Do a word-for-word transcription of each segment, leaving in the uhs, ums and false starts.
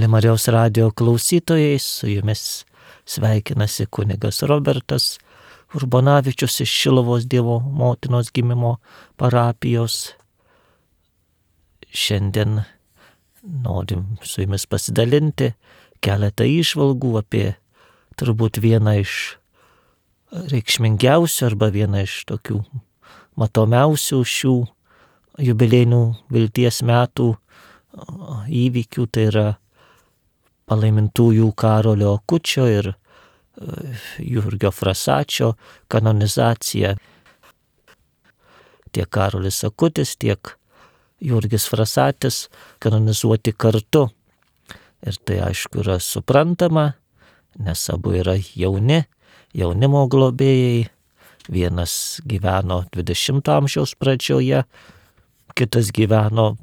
Mėly Marijos radijo klausytojai, su jumis sveikinasi kunigas Robertas Urbonavičius iš Šiluvos Dievo motinos gimimo parapijos. Šiandien norim su jumis pasidalinti keletą įžvalgų apie turbūt vieną iš reikšmingiausių arba vieną iš tokių matomiausių šių jubiliejinių vilties metų įvykių, tai yra palaimintųjų Karolio Akučio ir Jurgio Frasačio kanonizacija. Tiek Karolis Akutis, tiek Jurgis Frasatis kanonizuoti kartu. Ir tai aišku yra suprantama, nes abu yra jauni, jaunimo globėjai. Vienas gyveno dvidešimto amžiaus pradžioje, kitas gyveno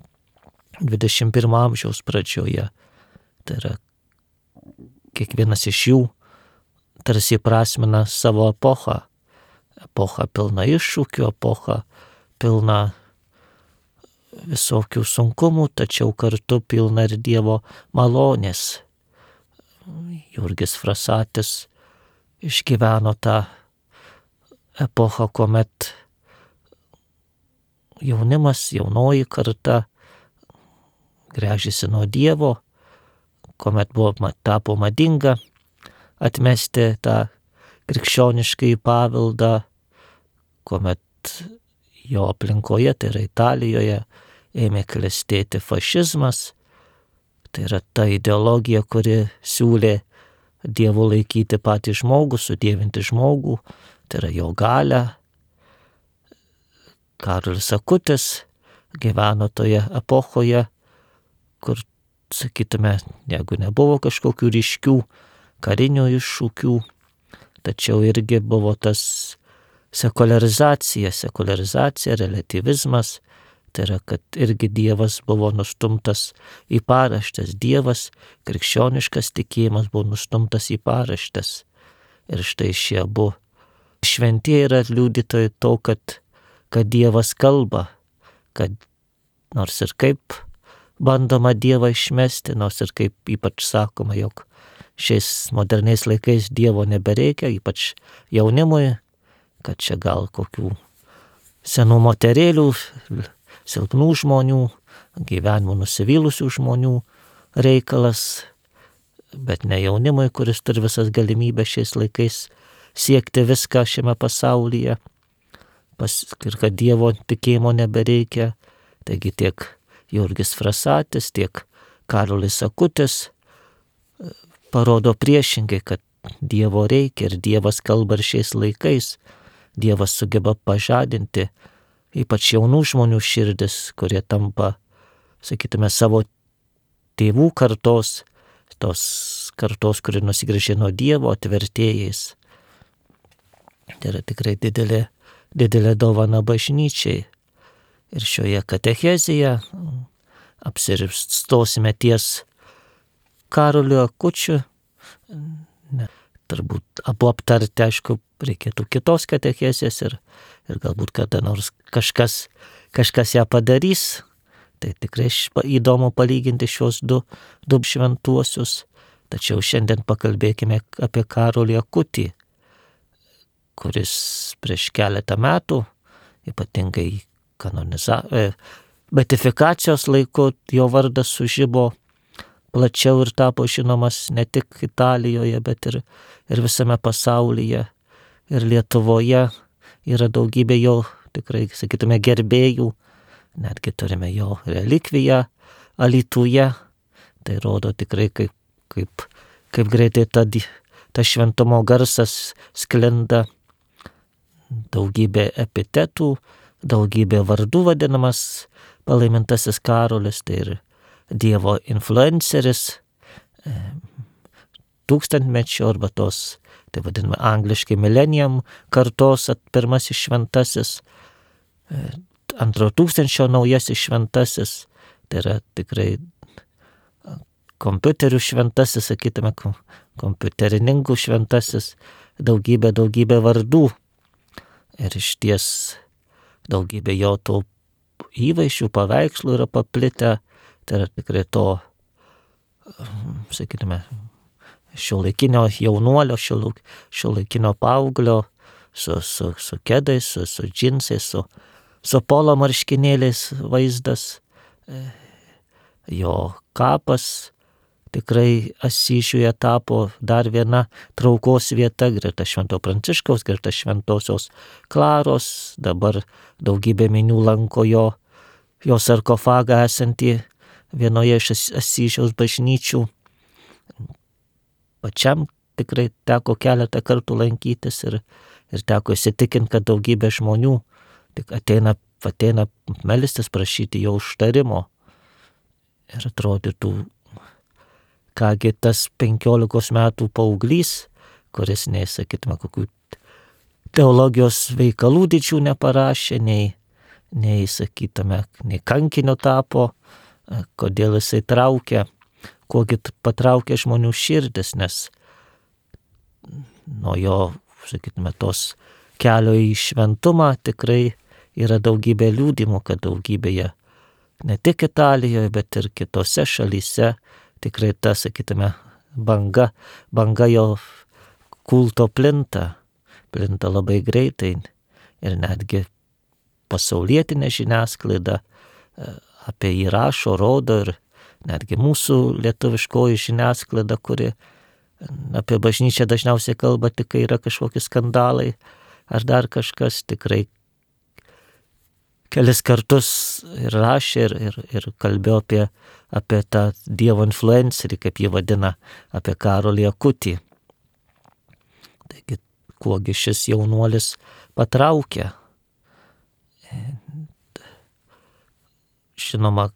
dvidešimt pirmo amžiaus pradžioje. Tai yra kiekvienas iš jų tarsi prasmina savo epochą. Epocha pilna iššūkių, epocha pilna visokių sunkumų, tačiau kartu pilna ir Dievo malonės. Jurgis Frasatis išgyveno tą epochą, kuomet jaunimas, jaunoji karta gręžėsi nuo Dievo, kuomet buvo tapo madinga atmesti tą krikščioniškąjį paveldą, kuomet jo aplinkoje, tai yra Italijoje, ėmė klestėti fašizmas. Tai yra ta ideologija, kuri siūlė Dievu laikyti patį žmogų, sudievinti žmogų, tai yra jo galią. Karolis Akutis gyveno toje epochoje, kur, sakytume, jeigu nebuvo kažkokių ryškių karinių iššūkių, tačiau irgi buvo tas sekularizacija, sekularizacija, relativizmas, tai yra, kad irgi Dievas buvo nustumtas į paraštes, Dievas, krikščioniškas tikėjimas buvo nustumtas į paraštes. Ir štai šie abu šventieji yra liudytojai to, kad, kad Dievas kalba, kad nors ir kaip bandoma Dievą išmesti, nors ir kaip ypač sakoma, jog šiais moderniais laikais Dievo nebereikia, ypač jaunimui, kad čia gal kokių senų moterėlių, silpnų žmonių, gyvenimų nusivylusių žmonių reikalas, bet ne jaunimui, kuris turi visas galimybės šiais laikais siekti viską šiame pasaulyje, pas, ir kad Dievo tikėjimo nebereikia. Taigi tiek Jurgis Frasatis, tiek Karolis Akutis parodo priešingai, kad Dievo reikia ir Dievas kalba ir šiais laikais. Dievas sugeba pažadinti ypač jaunų žmonių širdis, kurie tampa, sakytume, savo tėvų kartos, tos kartos, kuri nusigręžė nuo Dievo, atvertėjais. Tai yra tikrai didelė, didelė dovana bažnyčiai. Ir šioje katechezėje apsiristosime ties Karoliu Akučiu. Ne, turbūt abu aptarti, aišku, reikėtų kitos katechezės ir, ir galbūt kada nors kažkas, kažkas ją padarys. Tai tikrai įdomu palyginti šios du, du šventuosius. Tačiau šiandien pakalbėkime apie Karolį Akutį, kuris prieš keletą metų, ypatingai kanoniza, beatifikacijos laiku, jo vardas sužibo plačiau ir tapo žinomas ne tik Italijoje, bet ir, ir visame pasaulyje. Ir Lietuvoje yra daugybė jo, tikrai, sakytume, gerbėjų. Netgi turime jo relikviją Alytuje. Tai rodo tikrai, kaip, kaip, kaip greitai ta, ta šventumo garsas sklinda. Daugybė epitetų, daugybė vardų vadinamas palaimintasis Karolis, tai ir Dievo influenceris, tūkstantmečio arba tos, tai vadinama angliškai millennium kartos pirmasis šventasis, antro tūkstančio naujasis šventasis, tai yra tikrai kompiuterių šventasis, sakytume, kompiuterininkų šventasis, daugybė, daugybė vardų. Ir išties daugybė jo tų įvaizdžių, paveikslų yra paplitę, tai yra tikrai to sakytume, šiuolaikinio jaunuolio, šiuolaikinio paauglio su, su, su kedais, su, su džinsais, su, su polo marškinėliais vaizdas. Jo kapas tikrai Asyžiuje tapo dar viena traukos vieta greta Švento Pranciškaus, greta Šventosios Klaros. Dabar daugybė minių lanko jo, jo sarkofagą esantį vienoje iš Asyžiaus bažnyčių. Pačiam tikrai teko keletą kartų lankytis ir, ir teko įsitikinti, kad daugybė žmonių tik ateina, ateina melstis, prašyti jo užtarimo. Ir atrodytų, kągi tas penkiolikos metų paauglys, kuris nei, sakytume, kokių teologijos veikalų didžių neparašė, nei, nei sakytume, nei kankinio tapo, kodėl jisai traukia, kogi patraukia žmonių širdis, nes nuo jo, sakytume, tos kelio į šventumą tikrai yra daugybė liudymų, kad daugybėje, ne tik Italijoje, bet ir kitose šalyse, tikrai ta, sakytume, banga, banga jo kulto plinta, plinta labai greitai ir netgi pasaulietinė žiniasklaida apie jį rašo, rodo ir netgi mūsų lietuviškoji žiniasklaida, kuri apie bažnyčią dažniausiai kalba tik, kai yra kažkokie skandalai ar dar kažkas, tikrai kelis kartus ir rašė ir, ir, ir kalbėjo apie, apie tą Dievo influencerį, kaip jį vadina, apie Karolį Akutį. Taigi, kuogi šis jaunuolis patraukia. Žinoma,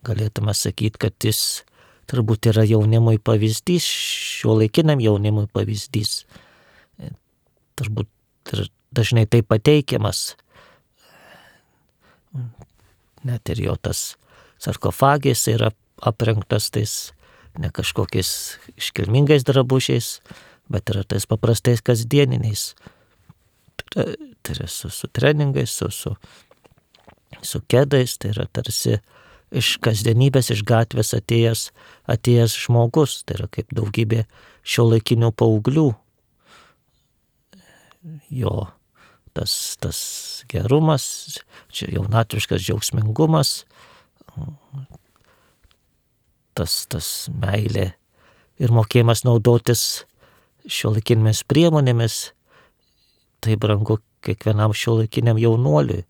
galėtume sakyti, kad jis turbūt yra jaunimui pavyzdys, šiuolaikiniam jaunimui pavyzdys. Turbūt ir dažnai tai pateikiamas. Net ir jo tas sarkofagės yra aprengtas tais ne kažkokiais iškilmingais drabužiais, bet yra tais paprastais kasdieniniais. Tai yra su, su treningais, su, su, su kedais, tai yra tarsi iš kasdienybės, iš gatvės atėjęs, atėjęs žmogus, tai yra kaip daugybė šiuolaikinių paauglių. Jo tas, tas gerumas, čia jaunatviškas džiaugsmingumas, tas, tas meilė ir mokėjimas naudotis šiuolaikinėmis priemonėmis, tai brangu kiekvienam šiuolaikiniam jaunuoliui.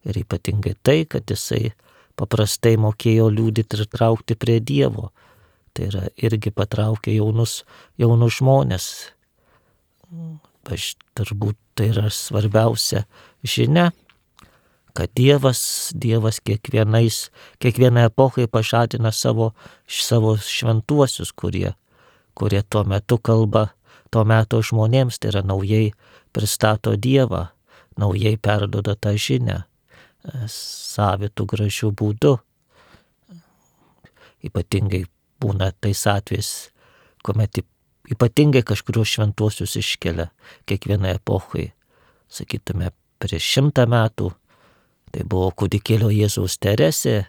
Ir ypatingai tai, kad jisai paprastai mokėjo liudyti ir traukti prie Dievo. Tai yra irgi patraukė jaunus, jaunus žmonės. Aš turbūt tai yra svarbiausia žinia, kad Dievas, Dievas kiekvienais, kiekvienai epochai pažadina savo, savo šventuosius, kurie, kurie tuo metu kalba, tuo metu žmonėms, tai yra naujai pristato Dievą, naujai perduoda tą žinią, savitų gražių būdų. Ypatingai būna tais atvejais, kuomet ypatingai kažkurios šventuosius iškelia kiekvienai epochai. Sakytume, prieš šimtą metų tai buvo kūdikėlio Jėzaus Teresė,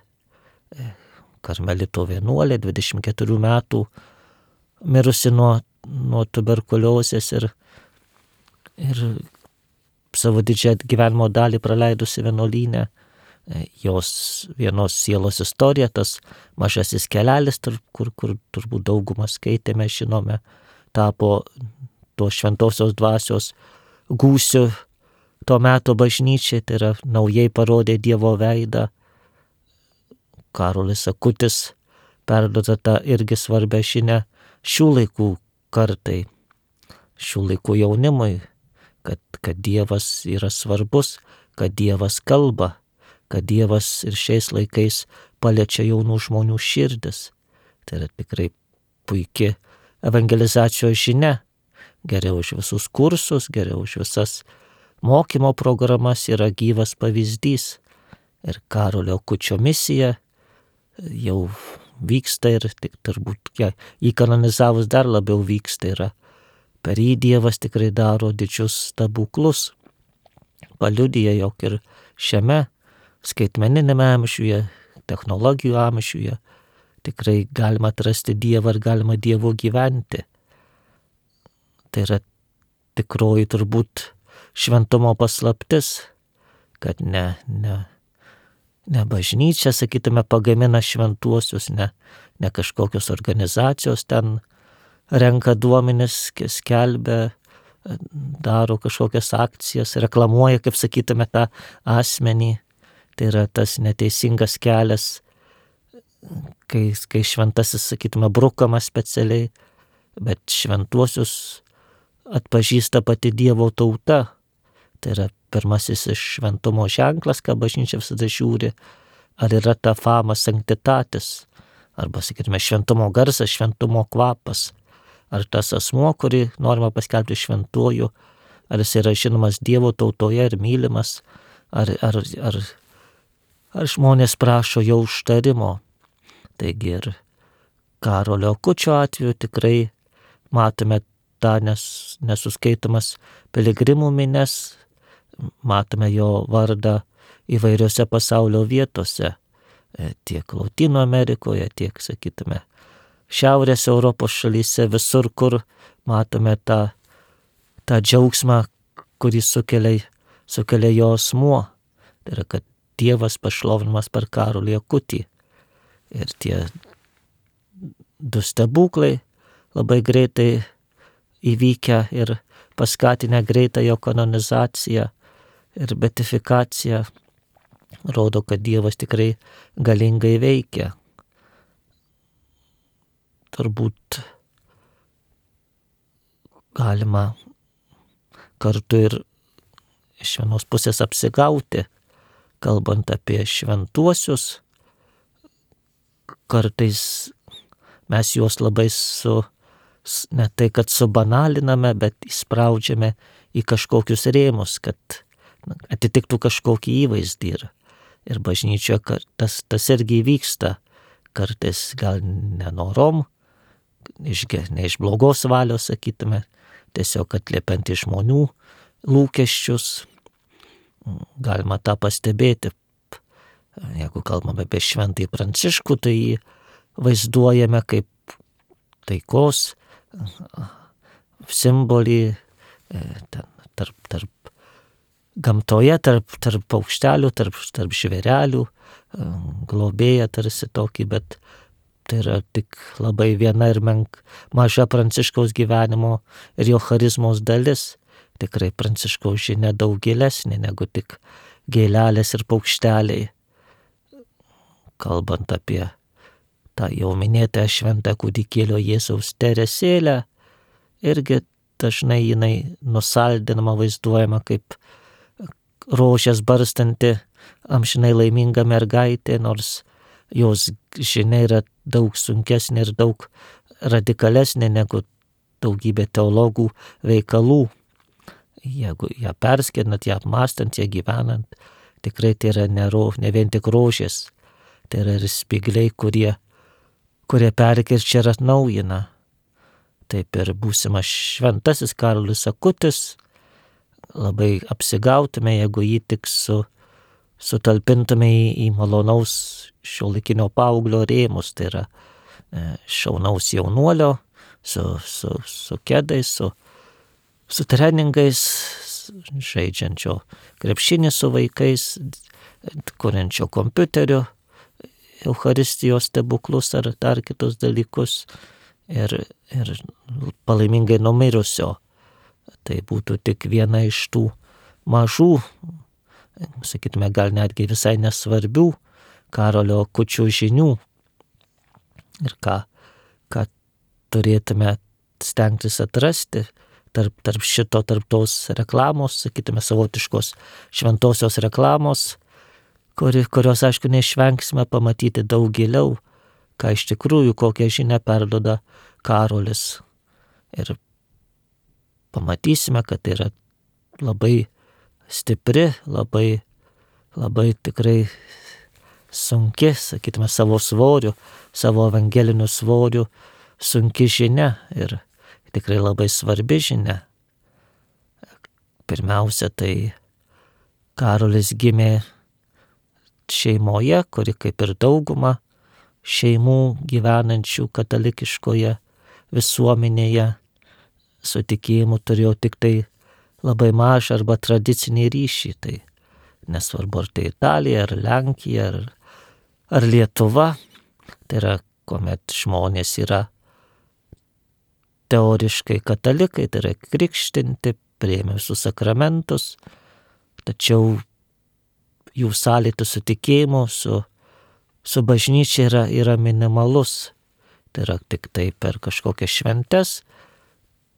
karmelito vienuolė, dvidešimt keturių metų, mirusi nuo, nuo tuberkuliozės ir, ir savo didžiąją gyvenimo dalį praleidusi vienuolyne. Jos vienos sielos istorija, tas mažasis kelelis, kur, kur turbūt daugumą skaitėme, žinome, tapo to šventosios dvasios gūsiu to meto bažnyčiai, tai yra naujai parodė Dievo veidą. Karolis Akutis perduoda tą irgi svarbią žinią šių laikų kartai, šių laikų jaunimui, kad, kad Dievas yra svarbus, kad Dievas kalba, kad Dievas ir šiais laikais paliečia jaunų žmonių širdis. Tai yra tikrai puiki evangelizacijos žinia. Geriau už visus kursus, geriau už visas mokymo programas yra gyvas pavyzdys. Ir Karolio Akučio misija jau vyksta ir tik turbūt ja, jį kanonizavus dar labiau vyksta. Yra per jį Dievas tikrai daro didžius stebuklus. Paliudija, jog ir šiame skaitmeninėme amžiuje, technologijų amžiuje, tikrai galima atrasti Dievą ir galima Dievo gyventi. Tai yra tikroji turbūt šventumo paslaptis, kad ne, ne, ne bažnyčia, sakytume, pagamina šventuosius, ne, ne kažkokios organizacijos ten renka duomenis, skelbia, daro kažkokias akcijas, reklamuoja, kaip sakytume, tą asmenį. Tai yra tas neteisingas kelias, kai, kai šventasis, sakytume, brukamas specialiai, bet šventuosius atpažįsta pati Dievo tauta. Tai yra pirmasis iš šventumo ženklas, ką bažnyčia visada žiūri, ar yra ta fama sanctitatis, arba, sakytume, šventumo garsas, šventumo kvapas. Ar tas asmuo, kurį norima paskelbti šventuoju, ar jis yra žinomas Dievo tautoje ir mylimas, ar, ar, ar, ar žmonės prašo jo užtarimo. Taigi ir Karolio Akučio atveju tikrai matome tą nes, nesuskaitomas piligrimų mines, matome jo vardą įvairiose pasaulio vietose, tiek Lotynų Amerikoje, tiek, sakytume, Šiaurės Europos šalyse, visur, kur matome tą, tą džiaugsmą, kurį sukelia, sukelia jo asmuo. Tai yra, kad Dievas pašlovinamas per Karolį Akutį. Ir tie du stebuklai labai greitai įvykę ir paskatinę greitą jo kanonizaciją ir beatifikaciją, rodo, kad Dievas tikrai galingai veikia. Turbūt galima kartu ir iš vienos pusės apsigauti, kalbant apie šventuosius. Kartais mes juos labai su, ne tai kad subanaliname, bet įspraudžiame į kažkokius rėmus, kad atitiktų kažkokį įvaizdį. Ir, ir bažnyčioje tas, tas irgi vyksta, kartais gal nenorom, iš, ne iš blogos valios, sakytume, tiesiog atliepiant į žmonių lūkesčius. Galima tą pastebėti. Jeigu kalbame apie šventąjį Pranciškų, tai jį vaizduojame kaip taikos simbolį tarp, tarp gamtoje, tarp, tarp paukštelių, tarp, tarp žvėrelių, globėja tarsi tokį, bet tai yra tik labai viena ir menk, maža Pranciškaus gyvenimo ir jo charizmos dalis. Tikrai Pranciškaus žinia daug gilesnė negu tik gėlelės ir paukšteliai. Kalbant apie tą jau minėtą šventą kūdikėlio Jėzaus Teresėlę, irgi dažnai jinai nusaldinama, vaizduojama kaip rožės barstanti amžinai laiminga mergaitė, nors jos žinia yra daug sunkesnė ir daug radikalesnė negu daugybė teologų veikalų. Jeigu ją perskėnat, ją apmastant, ją gyvenant, tikrai tai yra ne, ro, ne vien tik rožės, tai yra ir spygliai, kurie, kurie perkirčia ir atnaujina. Taip ir būsimas šventasis Karolis Akutis, labai apsigautume, jeigu jį tik su sutalpintume į, į malonaus šiuolaikinio paauglio rėmus, tai yra e, šaunaus jaunuolio, su, su, su kedais, su, su treningais, žaidžiančio krepšinį su vaikais, kuriančio kompiuteriu, Eucharistijos stebuklus ar dar kitus dalykus ir, ir palaimingai numirusio. Tai būtų tik viena iš tų mažų, sakytume, gal netgi visai nesvarbių Karolio Akučio žinių. Ir ką, ką turėtume stengtis atrasti tarp, tarp šito, tarp tos reklamos, sakytume, savotiškos šventosios reklamos, kuri, kurios, aišku, neišvengsime pamatyti daug giliau, ką iš tikrųjų, kokią žinią perduoda Karolis. Ir pamatysime, kad tai yra labai stipri, labai, labai tikrai sunki, sakytume, savo svoriu, savo evangeliniu svoriu, sunki žinia ir tikrai labai svarbi žinia. Pirmiausia, tai Karolis gimė šeimoje, kuri kaip ir dauguma šeimų gyvenančių katalikiškoje visuomenėje su tikėjimu turėjo tik tai labai mažą arba tradicinį ryšį. Tai nesvarbu, ar tai Italija, ar Lenkija, ar, ar Lietuva. Tai yra, kuomet žmonės yra teoriškai katalikai, tai yra krikštinti, priėmė visus sakramentus, tačiau jų sąlytis su tikėjimu, su, su bažnyčia yra, yra minimalus. Tai yra tik tai per kažkokias šventes,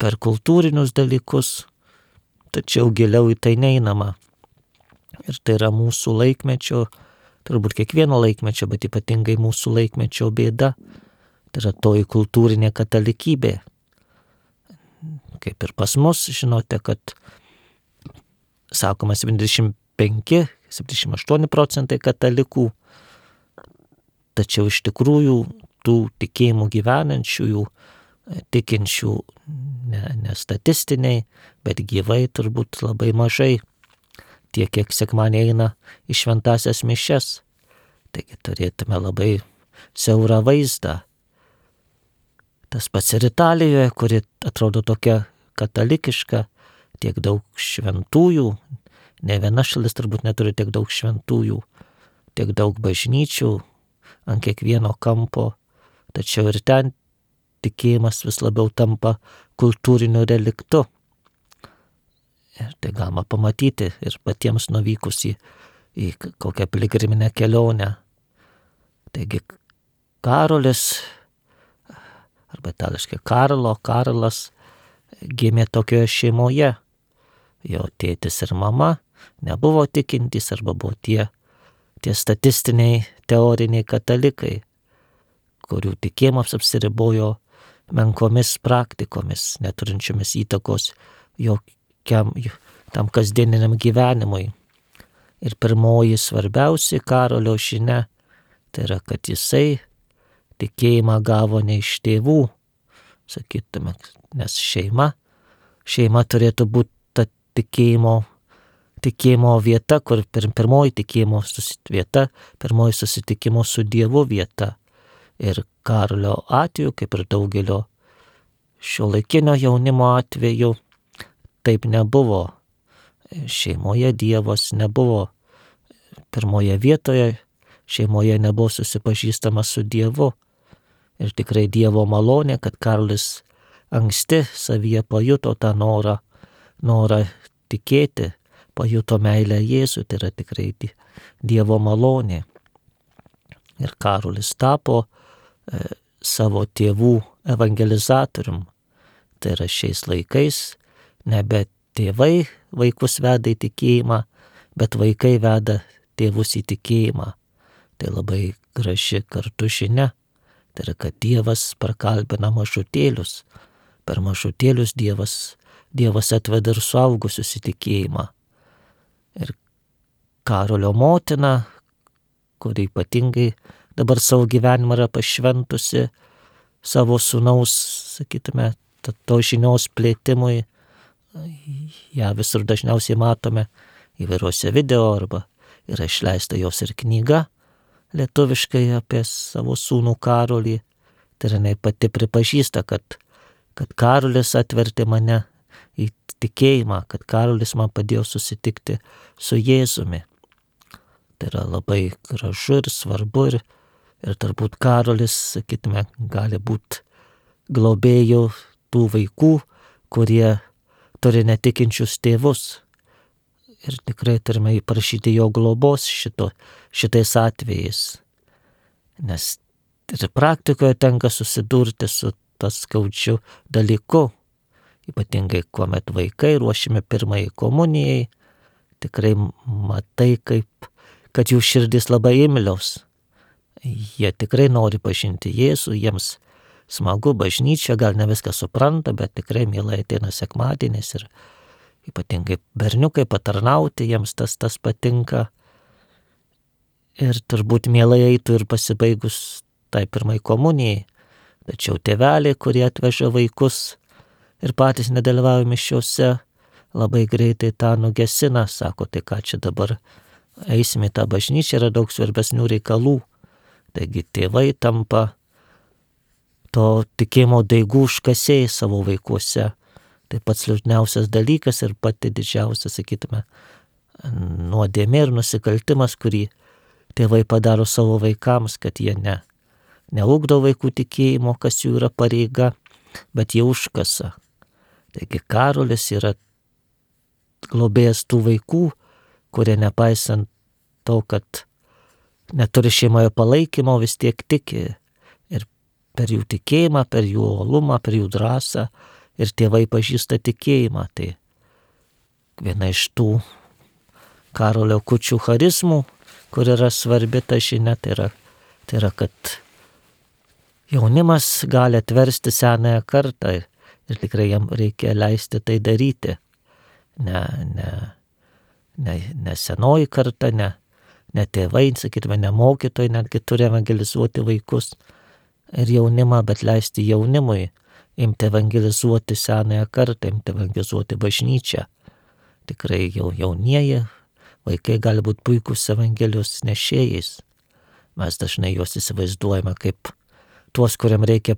per kultūrinius dalykus, tačiau giliau į tai neinama. Ir tai yra mūsų laikmečio, turbūt kiekvieno laikmečio, bet ypatingai mūsų laikmečio bėda. Tai yra toji kultūrinė katalikybė. Kaip ir pas mus, žinote, kad sakoma septyniasdešimt penki septyniasdešimt aštuoni procentai katalikų, tačiau iš tikrųjų tų tikėjimų gyvenančiųjų, tikinčių ne, ne statistiniai, bet gyvai turbūt labai mažai, tiek kiek sekmadienį eina į šventąsias mišias. Taigi turėtume labai siaurą vaizdą. Tas pats ir Italijoje, kuri atrodo tokia katalikiška, tiek daug šventųjų, ne viena šalis turbūt neturi tiek daug šventųjų, tiek daug bažnyčių ant kiekvieno kampo, tačiau ir ten tikėjimas vis labiau tampa kultūriniu reliktu. Ir tai galima pamatyti ir patiems nuvykus į, į kokią piligriminę kelionę. Taigi Karolis, arba itališkai Karlo, Karlas, gimė tokioje šeimoje. Jo tėtis ir mama nebuvo tikintys arba buvo tie, tie statistiniai teoriniai katalikai, kurių tikėjimas apsiribojo menkomis praktikomis, neturinčiomis įtakos jokiam tam kasdieniniam gyvenimui. Ir pirmoji svarbiausia Karolio žinia, tai yra, kad jisai tikėjimą gavo ne iš tėvų, sakytume, nes šeima, šeima turėtų būti ta tikėjimo, tikėjimo vieta, kur pir, pirmoji tikėjimo vieta, pirmoji susitikimo su Dievu vieta. Ir Karolio atveju, kaip ir daugelio šiuolaikinio jaunimo atveju, taip nebuvo. Šeimoje Dievas nebuvo pirmoje vietoje, šeimoje nebuvo susipažįstama su Dievu. Ir tikrai Dievo malonė, kad Karolis anksti savyje pajuto tą norą, norą tikėti, pajuto meilę Jėzui, tai yra tikrai Dievo malonė. Ir Karolis tapo e, savo tėvų evangelizatorium. Tai yra šiais laikais nebe tėvai vaikus veda į tikėjimą, bet vaikai veda tėvus į tikėjimą. Tai labai graži kartu žinia. Tai yra, kad Dievas prakalbina mažutėlius. Per mažutėlius Dievas, Dievas atveda ir suaugusius į tikėjimą. Ir Karolio motina, kuri ypatingai dabar savo gyvenimą yra pašventusi savo sūnaus, sakytume, to žinios plėtimui, ją visur dažniausiai matome įvairiuose video arba yra išleista jos ir knyga lietuviškai apie savo sūnų Karolį. Tai yra, jinai pati pripažįsta, kad, kad Karolis atvertė mane į tikėjimą, kad Karolis man padėjo susitikti su Jėzumi. Tai yra labai gražu ir svarbu ir, ir turbūt Karolis, sakytume, gali būti globėjų tų vaikų, kurie turi netikinčius tėvus. Ir tikrai turime prašyti jo globos šito, šitais atvejais. Nes ir praktikoje tenka susidurti su tas skaudžiu dalyku. Ypatingai, kuomet vaikai ruošiami pirmai komunijai, tikrai matai, kaip, kad jų širdis labai imlios. Jie tikrai nori pažinti Jėzų, jiems smagu bažnyčia, gal ne viską supranta, bet tikrai mielai ateina sekmadienis ir ypatingai berniukai patarnauti, jiems tas tas patinka. Ir turbūt mielai eitų ir pasibaigus tai pirmai komunijai. Tačiau tėveliai, kurie atveža vaikus ir patys nedalyvauja mišiose, labai greitai tą nugesina, sako, tai ką čia dabar eisime į tą bažnyčią, yra daug svarbesnių reikalų. Taigi tėvai tampa to tikėjimo daigų užkasėjai savo vaikuose. Tai pats liūdniausias dalykas ir pati didžiausia, sakytume, nuodėmė ir nusikaltimas, kurį tėvai padaro savo vaikams, kad jie ne, neugdo vaikų tikėjimo, kas jų yra pareiga, bet jie užkasa. Taigi Karolis yra globėjas tų vaikų, kurie nepaisant to, kad neturi šeimoje palaikymo, vis tiek tiki. Ir per jų tikėjimą, per jų uolumą, per jų drąsą ir tėvai pažįsta tikėjimą. Tai viena iš tų Karolio Akučio charizmų, kur yra svarbi ta žinia, tai yra, tai yra kad jaunimas gali atversti senąją kartą ir tikrai jam reikia leisti tai daryti. Ne, ne, ne, ne senoji karta, ne, ne tėvai, sakytume, ne mokytojai, netgi turi evangelizuoti vaikus ir jaunimą, bet leisti jaunimui imti evangelizuoti senąją kartą, imti evangelizuoti bažnyčią. Tikrai jau jaunieji vaikai gali būti puikūs evangelijos nešėjais. Mes dažnai juos įsivaizduojame kaip tuos, kuriam reikia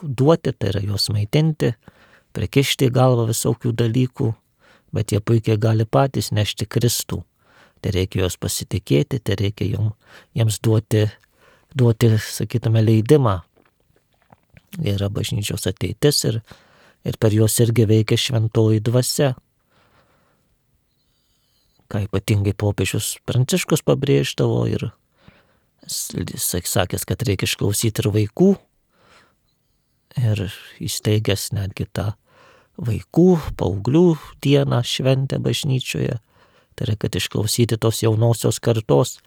duoti, tai yra juos maitinti, prikišti į galvą visokių dalykų, bet jie puikiai gali patys nešti Kristų. Tai reikia juos pasitikėti, tai reikia jom, jiems duoti, duoti, sakytume, leidimą. Yra bažnyčios ateitis ir, ir per juos irgi veikia šventoji dvasia. Ką ypatingai popiežius Pranciškus pabrėždavo ir jis sakęs, kad reikia išklausyti ir vaikų ir įsteigęs netgi tą vaikų, paauglių dieną šventę bažnyčioje. Tai yra, kad išklausyti tos jaunosios kartos,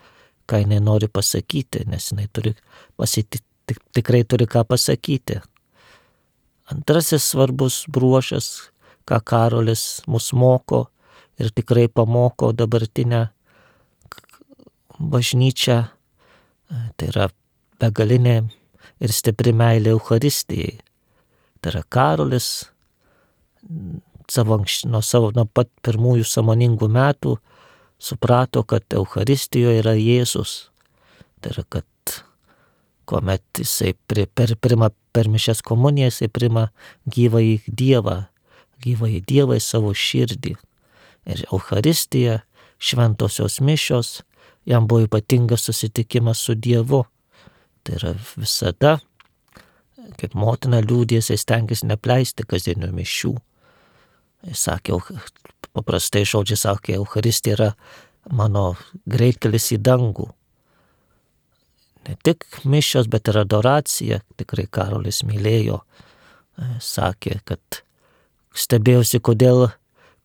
ką jinai nori pasakyti, nes jinai turi pasiti, tik, tikrai turi ką pasakyti. Antrasis svarbus bruožas, ką Karolis mus moko ir tikrai pamoko dabartinę bažnyčią, tai yra begalinė ir stipri meilė Eucharistijai. Tai yra Karolis savo, nuo, savo, nuo pat pirmųjų sąmoningų metų suprato, kad Eucharistijoje yra Jėzus. Tai yra, kad kuomet jisai per, per, per, per mišias komuniją jisai prima gyvąjį Dievą, gyvąjį Dievą į savo širdį. Ir Eucharistija, šventosios mišios, jam buvo ypatingas susitikimas su Dievu. Tai yra visada, kaip motina liūdės, jis stengiasi nepleisti kasdienių mišių. Jis sakė, paprastai žodžiai sakė, Eucharistija yra mano greitkelis į dangų. Ne tik mišios, bet ir adoracija. Tikrai Karolis mylėjo. Sakė, kad stebėjosi, kodėl,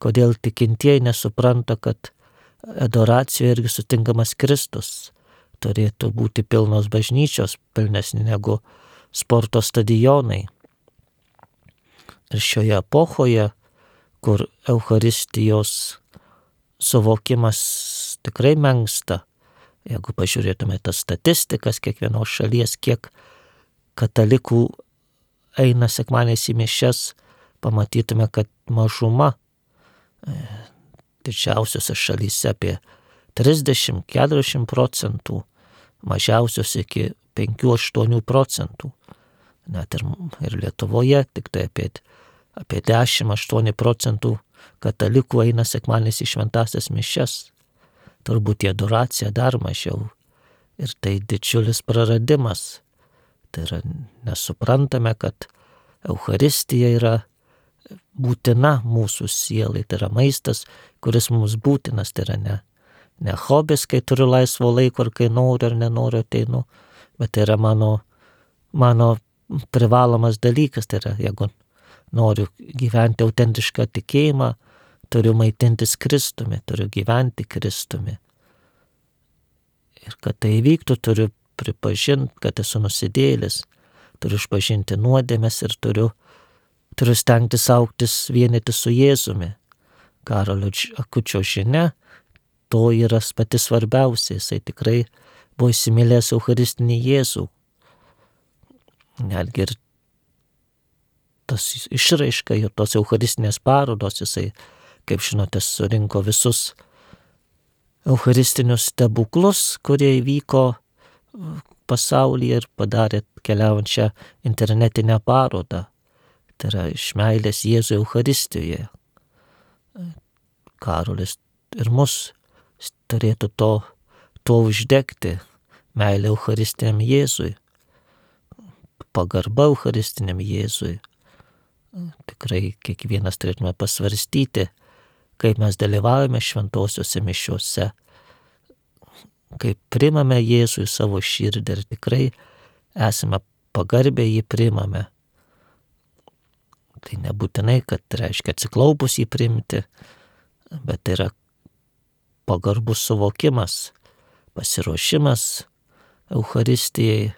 kodėl tikintieji nesupranta, kad adoracijoje irgi sutinkamas Kristus. Turėtų būti pilnos bažnyčios, pilnesni negu sporto stadionai. Ir šioje epochoje, kur Eucharistijos suvokimas tikrai menksta, jeigu pažiūrėtume tas statistikas kiekvienos šalies, kiek katalikų eina sekmadieniais į mišias, pamatytume, kad mažuma didžiausiose šalyse apie trisdešimt iki keturiasdešimt procentų, mažiausios iki penki aštuoni procentų. Net ir, ir Lietuvoje tik tai apie, apie dešimt aštuoni procentų katalikų eina sekmadieniais į šventąsias mišias. Turbūt į adoraciją dar mažiau. Ir tai didžiulis praradimas. Tai yra, nesuprantame, kad Eucharistija yra būtina mūsų sielai. Tai yra maistas, kuris mums būtinas. Tai yra ne, ne hobis, kai turiu laisvo laiko ar kai noriu ar nenoriu ateinu, bet tai yra mano, mano privalomas dalykas. Tai yra, jeigu noriu gyventi autentišką tikėjimą, turiu maitintis Kristumi, turiu gyventi Kristumi. Ir kad tai įvyktų, turiu pripažinti, kad esu nusidėjėlis, turiu išpažinti nuodėmes ir turiu, turiu stengtis augtis vienyti su Jėzumi. Karolio Akučio žinia, to yra pati svarbiausia, jisai tikrai buvo įsimylėjęs Eucharistinį Jėzų. Netgi ir tas išraiška ir tos Eucharistinės parodos, jisai, kaip žinote, surinko visus eucharistinius stebuklus, kurie įvyko pasaulyje ir padarė keliaujančią internetinę parodą. Tai yra iš meilės Jėzui Eucharistijoje. Karolis ir mus turėtų to, to uždegti, meilė Eucharistiniam Jėzui, pagarba Eucharistiniam Jėzui. Tikrai kiekvienas turėtume pasvarstyti, kaip mes dalyvaujame šventosiuose mišiuose, kaip primame Jėzų į savo širdį ir tikrai esame pagarbę jį primame. Tai nebūtinai, kad reiškia atsiklaupus jį priimti, bet tai yra pagarbus suvokimas, pasiruošimas Eucharistijai,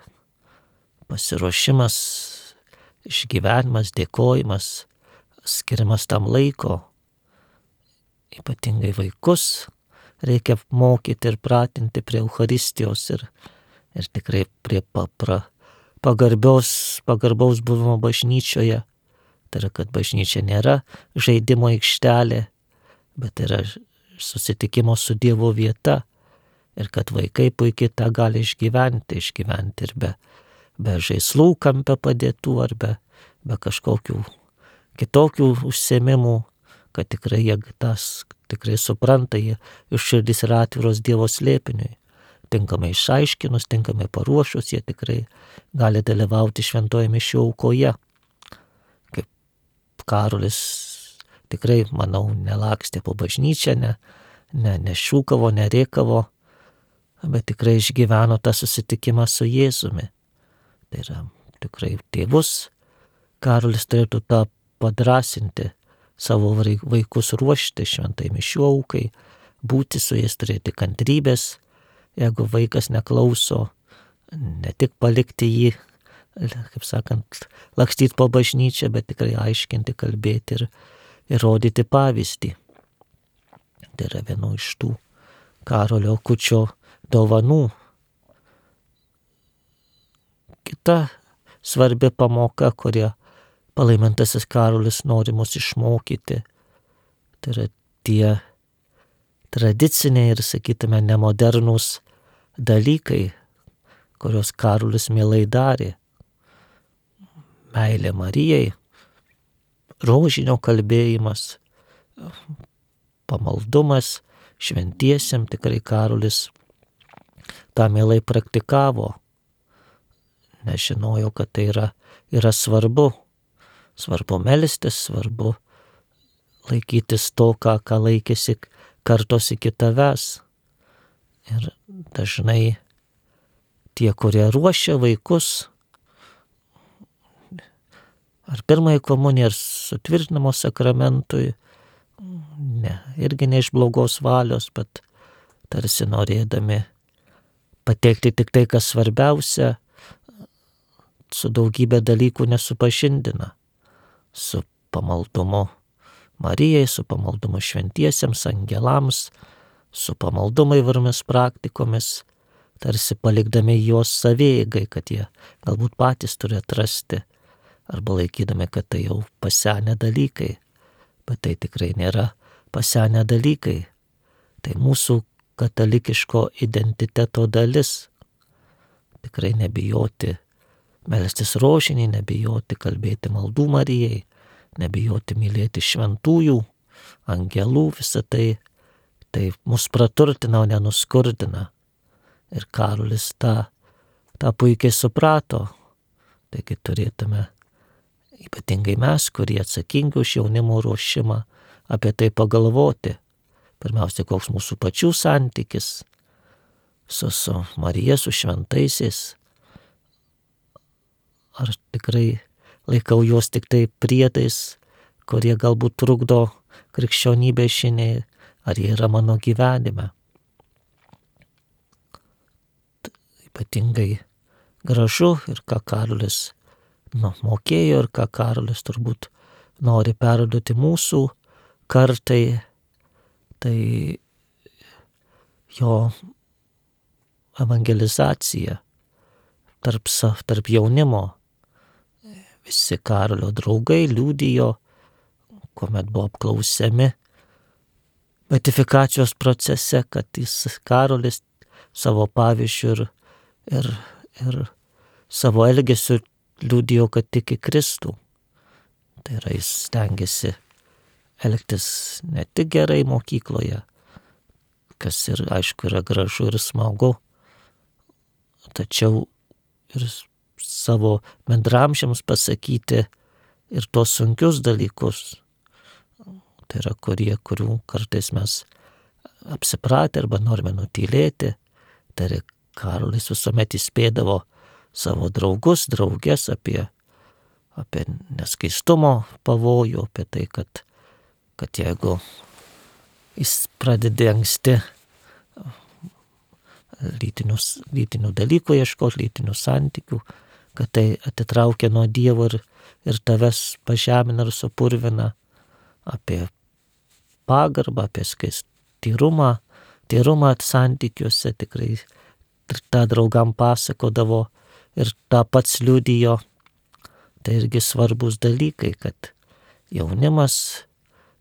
pasiruošimas, išgyvenimas, dėkojimas, skiriamas tam laiko. Ypatingai vaikus reikia mokyti ir pratinti prie Eucharistijos ir, ir tikrai prie papra, pagarbiaus, pagarbaus buvimo bažnyčioje. Tai yra, kad bažnyčia nėra žaidimo aikštelė, bet yra susitikimo su Dievo vieta ir kad vaikai puikiai tą gali išgyventi, išgyventi ir be, be žaislų kampe padėtų ar be, be kažkokių kitokių užsiėmimų, kad tikrai jie tas tikrai supranta, jie iš širdis yra atviros Dievo slėpiniui. Tinkamai išaiškinus, tinkamai paruošus, jie tikrai gali dalyvauti šventoje mišių aukoje. Kaip Karolis tikrai, manau, nelakstė po bažnyčią, ne, ne, nešūkavo, nerėkavo, bet tikrai išgyveno tą susitikimą su Jėzumi. Tai yra tikrai tėvus. Karolis turėtų tą padrasinti, savo vaikus ruošti šventai mišių aukai, būti su jais, turėti kantrybės. Jeigu vaikas neklauso, ne tik palikti jį, kaip sakant, lakstyti po bažnyčią, bet tikrai aiškinti, kalbėti ir, ir rodyti pavyzdį. Tai yra viena iš tų Karolio Akučio dovanų. Kita svarbi pamoka, kurią palaimintasis Karolis nori mus išmokyti, tai yra tie tradiciniai ir, sakytume, nemodernūs dalykai, kurios Karolis mielai darė. Meilė Marijai, rožinio kalbėjimas, pamaldumas šventiesiem, tikrai Karolis tą mielai praktikavo. Nežinojo, kad tai yra, yra svarbu. Svarbu melstis, svarbu laikytis to, ką, ką laikėsi kartos iki tavęs. Ir dažnai tie, kurie ruošia vaikus, ar pirmąjį komuniją, ar sutvirtinimo sakramentui, ne, irgi ne iš blogos valios, bet tarsi norėdami pateikti tik tai, kas svarbiausia, su daugybė dalykų nesupažindina. Su pamaldumu Marijai, su pamaldumu šventiesiems, angelams, su pamaldumu įvairiomis praktikomis, tarsi palikdami juos savieigai, kad jie galbūt patys turi atrasti, arba laikydami, kad tai jau pasenę dalykai, bet tai tikrai nėra pasenę dalykai. Tai mūsų katalikiško identiteto dalis. Tikrai nebijoti melstis rožinį, nebijoti kalbėti maldų Marijai, nebijoti mylėti šventųjų, angelų, visą tai, tai mus praturtina, o nenuskurdina. Ir Karolis tą, tą puikiai suprato. Taigi turėtume, ypatingai mes, kurie atsakingi už jaunimo ruošimą, apie tai pagalvoti. Pirmiausia, koks mūsų pačių santykis su, su Marija, su šventaisiais. Ar tikrai laikau juos tik tai priedais, kurie galbūt trukdo krikščionybė žiniai, ar jie yra mano gyvenime. Ypatingai gražu ir ką Karolis nu, mokėjo ir ką Karolis turbūt nori perduoti mūsų kartai, tai jo evangelizacija tarp, tarp jaunimo. Visi Karolio draugai liudijo, kuomet buvo apklausiami beatifikacijos procese, kad jis Karolis savo pavyzdžiu ir, ir, ir savo elgesiu liudijo, kad tiki Kristų. Tai yra, jis stengiasi elgtis ne tik gerai mokykloje, kas ir aišku yra gražu ir smagu, tačiau ir savo bendramžiams pasakyti ir tos sunkius dalykus. Tai yra, kurie, kurių kartais mes apsipratę arba norime nutylėti. Tai yra, Karolis visuomet įspėdavo savo draugus, draugės apie, apie neskaistumo pavojų, apie tai, kad, kad jeigu jis pradedi anksti lytinius, lytinių dalykų ieškoti, lytinių santykių, kad tai atitraukia nuo Dievo ir, ir tavęs pažemina ir supurvina, apie pagarbą, apie skaistyrumą, tyrumą santykiuose, tikrai tą draugam pasakodavo ir tą pats liudijo. Tai irgi svarbus dalykai, kad jaunimas,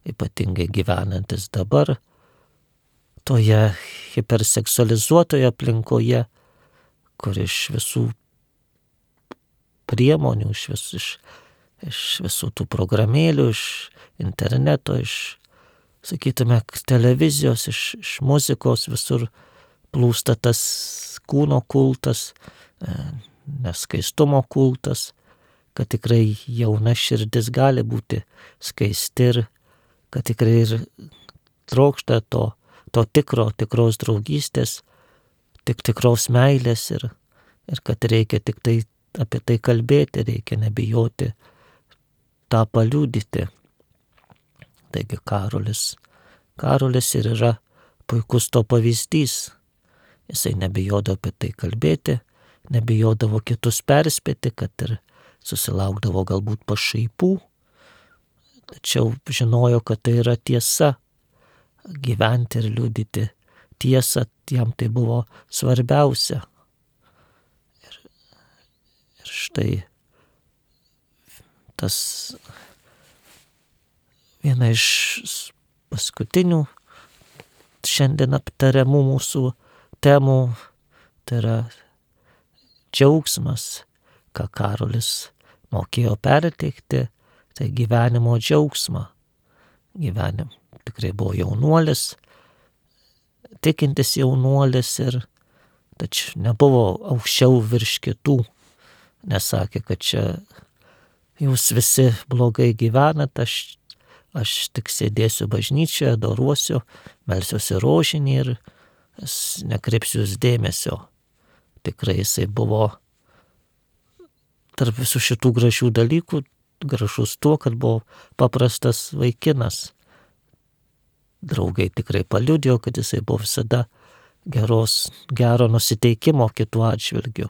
ypatingai gyvenantis dabar, toje hiperseksualizuotoje aplinkoje, kur iš visų priemonių, iš, vis, iš, iš visų tų programėlių, iš interneto, iš, sakytume, televizijos, iš, iš muzikos visur plūsta tas kūno kultas, neskaistumo kultas, kad tikrai jauna širdis gali būti skaisti ir kad tikrai ir trokšta to, to tikro, tikros draugystės, tik tikros meilės ir, ir kad reikia tik tai apie tai kalbėti, reikia nebijoti tą paliudyti. Taigi Karolis, Karolis ir yra puikus to pavyzdys. Jisai nebijodavo apie tai kalbėti, nebijodavo kitus perspėti, kad ir susilaukdavo galbūt pašaipų, tačiau žinojo, kad tai yra tiesa, gyventi ir liudyti tiesą, jam tai buvo svarbiausia. Ir, ir štai tas viena iš paskutinių šiandien aptariamų mūsų temų, tai yra džiaugsmas, ką Karolis mokėjo perteikti, tai gyvenimo džiaugsmą. Gyvenim tikrai buvo jaunuolis, tikintis jaunuolis ir tačiau nebuvo aukščiau virš kitų. Nesakė, kad čia jūs visi blogai gyvenat, aš, aš tik sėdėsiu bažnyčioje, adoruosiu, melsiuosi rožinį ir nekreipsiu jūs dėmesio. Tikrai jisai buvo tarp visų šitų gražių dalykų, gražus tuo, kad buvo paprastas vaikinas. Draugai tikrai paliudijo, kad jisai buvo visada geros, gero nusiteikimo kitų atžvilgių.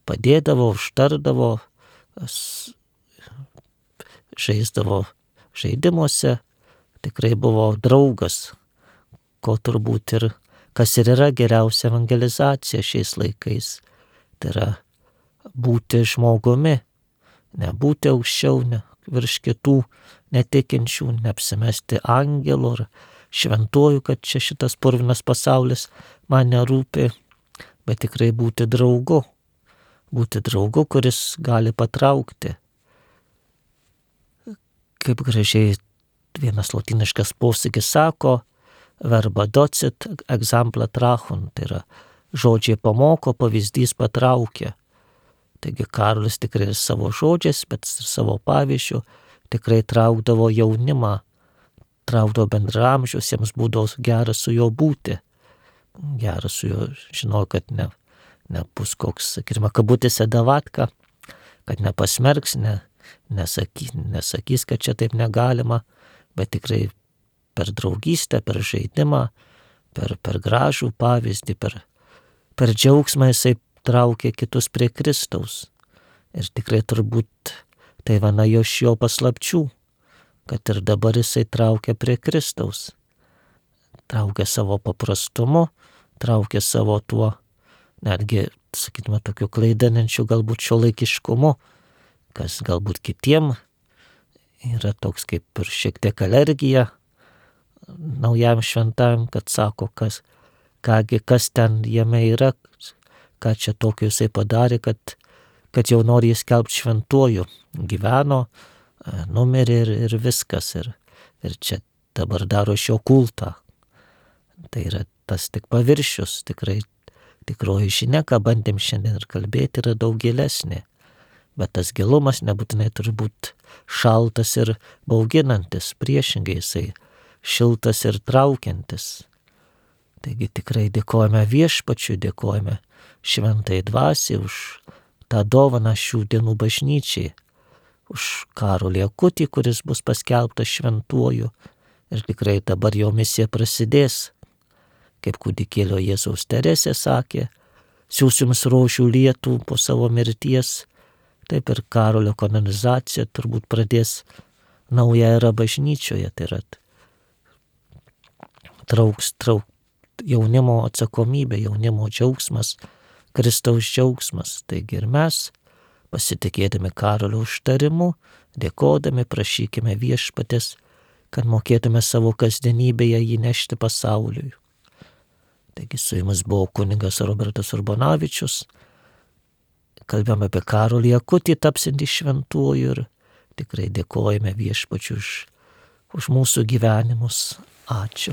Padėdavo, užtardavo, žaisdavo žaidimuose, tikrai buvo draugas, ko turbūt ir kas ir yra geriausia evangelizacija šiais laikais. Tai yra būti žmogumi, nebūti aukščiau ne, virš kitų netikinčių, neapsimesti angelu ar šventuoju, kad čia šitas purvinas pasaulis man nerūpi, bet tikrai būti draugu, būti draugu, kuris gali patraukti. Kaip gražiai vienas lotyniškas posakis sako, verba docit, exempla trachun, tai yra žodžiai pamoko, pavyzdys patraukia. Taigi Karolis tikrai ir savo žodžiais, bet ir savo pavyzdžiu tikrai traukdavo jaunimą, traukdavo bendramžius, jiems būdavo gera su juo būti. Gera su juo, žinau, kad ne, nebus koks, sakykime, kabutėse davatka, kad nepasmerks, ne, nesakys, nesakys, kad čia taip negalima, bet tikrai per draugystę, per žaidimą, per, per gražų pavyzdį, per, per džiaugsmą jisai traukė kitus prie Kristaus. Ir tikrai turbūt tai viena iš jo paslapčių, kad ir dabar jisai traukia prie Kristaus. Traukia savo paprastumu, traukia savo tuo, netgi, sakytume, tokiu klaidinančiu galbūt šiuolaikiškumu, kas galbūt kitiem yra toks kaip ir šiek tiek alergija naujam šventajam, kad sako, kas, kągi, kas ten jame yra, ką čia tokio jisai padarė, kad, kad jau nori jį skelbti šventuoju. Gyveno, numirė ir, ir viskas. Ir, ir čia dabar daro iš jo kultą. Tai yra tas tik paviršius, tikrai tikroji žinia, ką bandėm šiandien ir kalbėti, yra daug gilesnė. Bet tas gilumas nebūtinai turi būti šaltas ir bauginantis, priešingai jisai šiltas ir traukiantis. Taigi tikrai dėkojame viešpačiui, dėkojame šventai dvasiai už tą dovaną šių dienų bažnyčiai, už Karolį Akutį, kuris bus paskelbtas šventuoju. Ir tikrai dabar jo misija prasidės. Kaip kūdikėlio Jėzaus Teresė sakė, siųs jums rožių lietų po savo mirties, taip ir Karolio kanonizacija turbūt pradės naują erą bažnyčioje, tai yra trauks, trauk, jaunimo atsakomybė, jaunimo džiaugsmas, Kristaus džiaugsmas. Taigi ir mes, pasitikėdami Karolio užtarimu, dėkodami, prašykime viešpatės, kad mokėtume savo kasdienybėje jį nešti pasauliui. Taigi su jumis buvo kunigas Robertas Urbonavičius. Kalbėjome apie Karolį Akutį tapsintį šventuoju ir tikrai dėkojame viešpačiui už, už mūsų gyvenimus. Ačiū.